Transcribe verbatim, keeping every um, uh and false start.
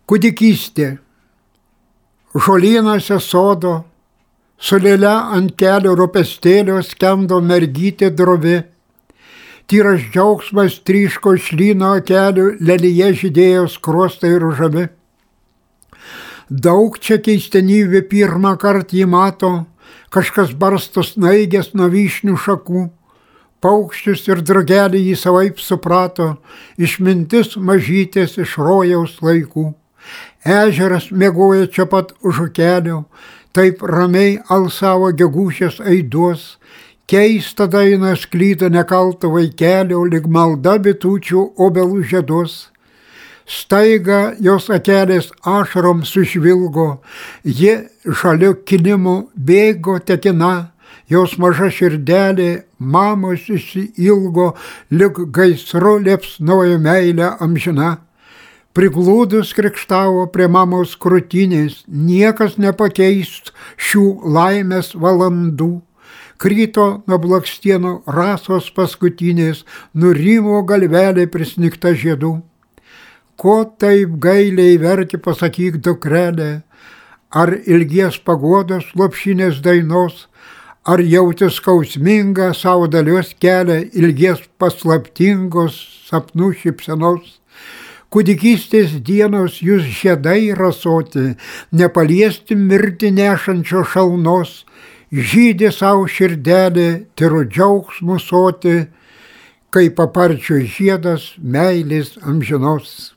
Kūdikystė. Žolynuose sodo, su lėle ant kelio rūpestėlio skendo mergytė drovi. Tyras džiaugsmas tryško iš lyno kelių, lelyje žydėjo skruostai ružavi. Daug čia keistenybių pirmą kartą jį mato, kažkas barsto snaigės nuo vyšnių šakų. Paukščius ir drugelį jį savaip suprato, išmintis mažytės iš rojaus laikų. Ežeras miegoja čia pat už kelio, taip ramiai alsavo gegužės aiduos. Keista daina sklydo nekalto vaikelio, lyg malda bitučių obelų žieduos. Staiga jos akelės ašarom sušvilgo, ji žaliu kilimu bėgo tekina, jos maža širdelė mamos išsiilgo, lyg gaisru liepsnojo meilė amžina. Priglūdus krikštavo prie mamos krūtinės, niekas nepakeist šių laimės valandų. Kryto nuo blakstienų rasos paskutinės, nurimo galvelė prisnigta žiedų. Ko taip gailiai verki, pasakyk, dukrelė, ar ilgies paguodos lopšinės dainos, ar jauti skausmingą savo dalios kelią, ilgies paslaptingos sapnų šypsenos. Kūdikystės dienos jūs žiedai rasoti, nepaliesti mirti nešančio šalnos, žydė savo širdelė, tyru džiaugsmu soti, kai paparčio žiedas meilės amžinos.